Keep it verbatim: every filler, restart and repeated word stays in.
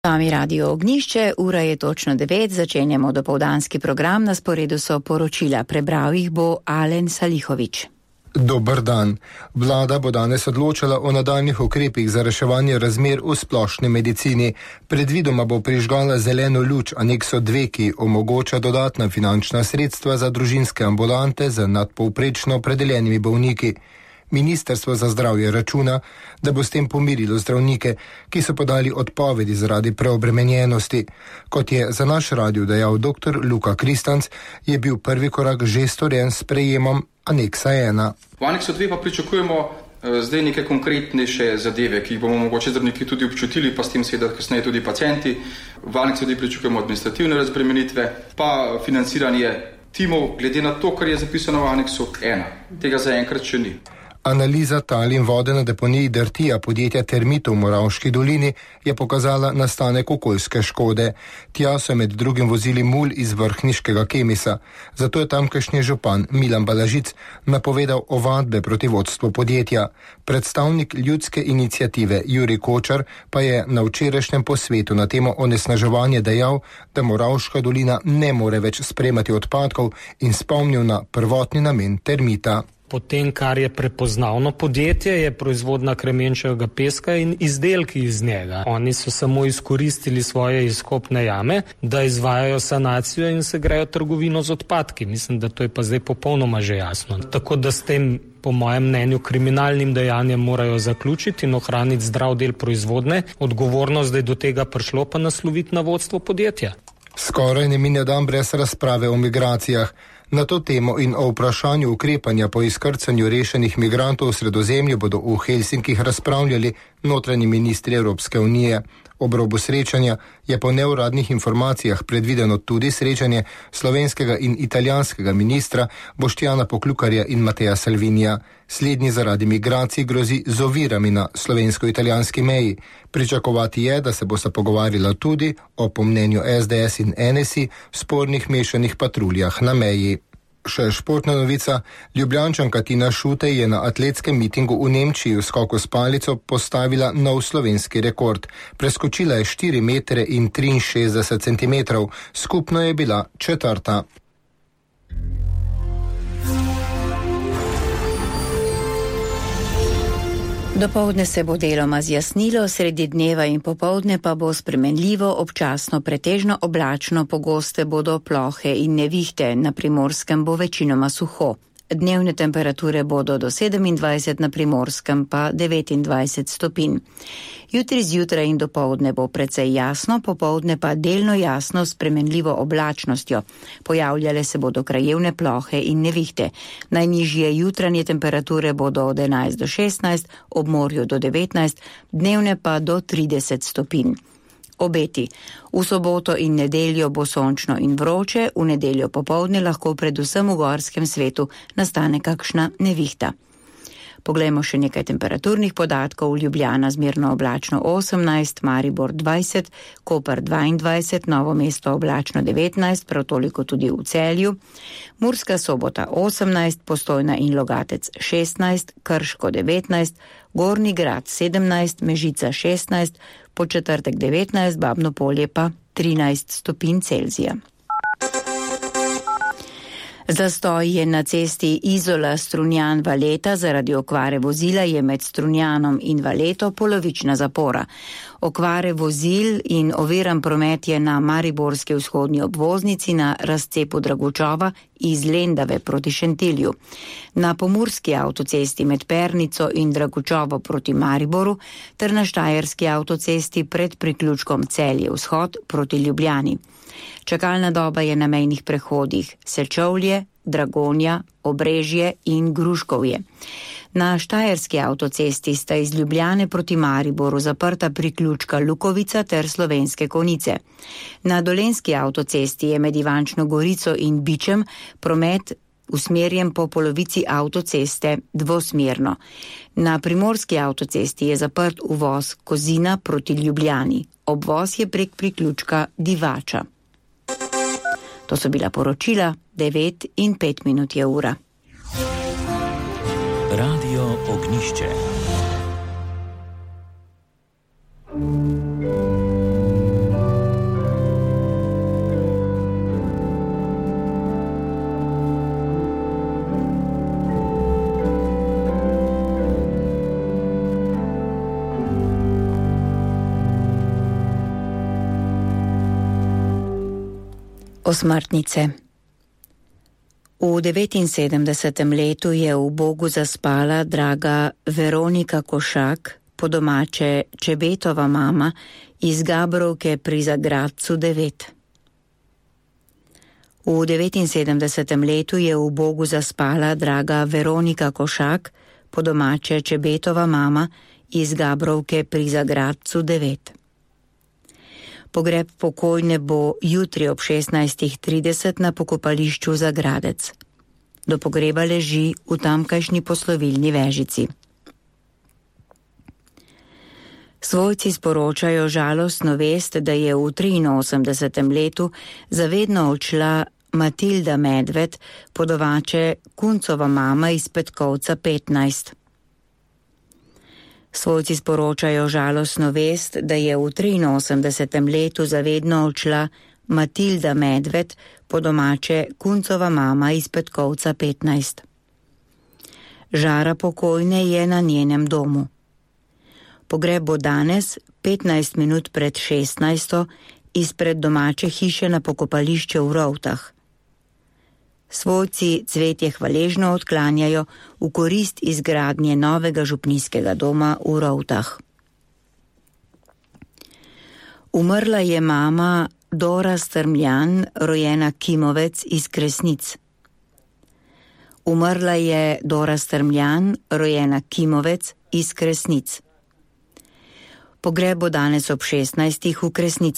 Sami Radio Ognjišče, ura je točno devet, začenjamo dopoldanski program, na sporedu so poročila, prebral jih bo Alen Salihovič. Dober dan. Vlada bo danes odločala o nadaljnih ukrepih za reševanje razmer v splošni medicini. Predvidoma bo prižgala zeleno luč anekso dve, ki omogoča dodatna finančna sredstva za družinske ambulante z nadpovprečno opredeljenimi bolniki. Ministrstvo za zdravje računa, da bo s tem pomirilo zdravnike, ki so podali odpovedi zaradi preobremenjenosti. Kot je za naš radio dejal dr. Luka Kristanc, je bil prvi korak že storjen s prejemom aneksa ena. V aneksu dve pa pričakujemo eh, zdaj neke konkretnejše zadeve, ki jih bomo mogoče zdravniki tudi občutili, pa s tem seveda kasneje tudi pacienti. V aneksu dve pričakujemo administrativne razbremenitve, pa financiranje timov, glede na to, kar je zapisano v aneksu ena. Tega zaenkrat še ni. Analiza tal in vode na deponiji Drtija podjetja Termitov v Moravški dolini je pokazala nastanek okoljske škode. Tja so med drugim vozili mulj iz vrhniškega Kemisa. Zato je tamkajšnji župan Milan Balažic napovedal ovadbe proti vodstvu podjetja. Predstavnik ljudske iniciative Jurij Kočar pa je na včerajšnjem posvetu na temo onesnaževanja dejal, da Moravška dolina ne more več sprejemati odpadkov in spomnil na prvotni namen Termita. Potem, kar je prepoznavno podjetje, je proizvodnja kremenčevega peska in izdelki iz njega. Oni so samo izkoristili svoje izkopne jame, da izvajajo sanacijo in se grejo trgovino z odpadki. Mislim, da to je pa zdaj popolnoma že jasno. Tako da s tem, po mojem mnenju, kriminalnim dejanjem morajo zaključiti in ohraniti zdrav del proizvodne. Odgovornost, da je do tega prišlo, pa nasloviti na vodstvo podjetja. Skoraj ne mine dan brez razprave o migracijah. Na to temo in o vprašanju ukrepanja po izkrcanju rešenih migrantov v Sredozemlju bodo v Helsinkih razpravljali notranji ministri Evropske unije. Ob robu srečanja je po neuradnih informacijah predvideno tudi srečanje slovenskega in italijanskega ministra Boštjana Poklukarja in Mateja Salvinija. Slednji zaradi migracij grozi z ovirami na slovensko-italijanski meji. Pričakovati je, da se bosta pogovarjala tudi o, po mnenju es de es in en es i, spornih mešanih patruljah na meji. Še športna novica. Ljubljančanka Tina Šutej je na atletskem mitingu v Nemčiji v skoku s palico postavila nov slovenski rekord. Preskočila je štiri metre in triinšestdeset centimetrov. Skupno je bila četrta. Dopoldne se bo deloma zjasnilo, sredi dneva in popoldne pa bo spremenljivo, občasno pretežno oblačno, pogoste bodo plohe in nevihte, na Primorskem bo večinoma suho. Dnevne temperature bodo do sedemindvajset, na Primorskem pa devetindvajset stopinj. Jutri zjutraj in dopoldne bo precej jasno, popoldne pa delno jasno s spremenljivo oblačnostjo. Pojavljale se bodo krajevne plohe in nevihte. Najnižje jutranje temperature bodo od enajst do šestnajst, ob morju do devetnajst, dnevne pa do trideset stopinj. Obeti. V soboto in nedeljo bo sončno in vroče, v nedeljo popoldne lahko predvsem v gorskem svetu nastane kakšna nevihta. Poglejmo še nekaj temperaturnih podatkov. Ljubljana zmerno oblačno osemnajst, Maribor dvajset, Koper dvaindvajset, Novo mesto oblačno devetnajst, prav toliko tudi v Celju, Murska Sobota osemnajst, Postojna in Logatec šestnajst, Krško devetnajst, Gornji Grad sedemnajst, Mežica šestnajst, Podčetrtek devetnajst, Babno Polje pa trinajst stopinj Celzija. Zastoj je na cesti Izola Strunjan Valeta, zaradi okvare vozila je med Strunjanom in Valeto polovična zapora. Okvare vozil in oviran promet je na mariborski vzhodni obvoznici na razcepu Dragučova iz Lendave proti Šentilju. Na pomurski avtocesti med Pernico in Dragučovo proti Mariboru ter na štajerski avtocesti pred priključkom Celje vzhod proti Ljubljani. Čakalna doba je na mejnih prehodih Sečovlje, Dragonja, Obrežje in Gruškovje. Na štajerski avtocesti sta iz Ljubljane proti Mariboru zaprta priključka Lukovica ter Slovenske Konjice. Na dolenjski avtocesti je med Ivančno Gorico in Bičem promet usmerjen po polovici avtoceste dvosmerno. Na primorski avtocesti je zaprt uvoz Kozina proti Ljubljani. Obvoz je prek priključka Divača. To so bila poročila, devet in pet minut je ura. Radio Ognjišče. Osmrtnice. V devetinsedemdesetem letu je v Bogu zaspala draga Veronika Košak, po domače Čebetova mama, iz Gabrovke pri Zagradcu devet. V devetinsedemdesetem letu je v Bogu zaspala draga Veronika Košak, po domače Čebetova mama, iz Gabrovke pri Zagradcu devet. Pogreb pokojne bo jutri ob šestnajstih trideset na pokopališču Zagradec. Do pogreba leži v tamkajšnji poslovilni vežici. Svojci sporočajo žalostno vest, da je v triinosemdesetem letu zavedno odšla Matilda Medved, po domače Kuncova mama iz Petkovca petnajst. Svojci sporočajo žalostno vest, da je v triinosemdesetem letu zavedno odšla Matilda Medved, po domače Kuncova mama iz Petkovca petnajst. Žara pokojne je na njenem domu. Pogreb bo danes, petnajst minut pred šestnajsto, izpred domače hiše na pokopališče v Rovtah. Svojci cvetje hvaležno odklanjajo v korist izgradnje novega župnijskega doma v Rovtah. Umrla je mama Dora Strmljan, rojena Kimovec iz Kresnic. Umrla je Dora Strmljan, rojena Kimovec iz Kresnic. Pogreb bo danes ob šestnajstih v Kresnicah.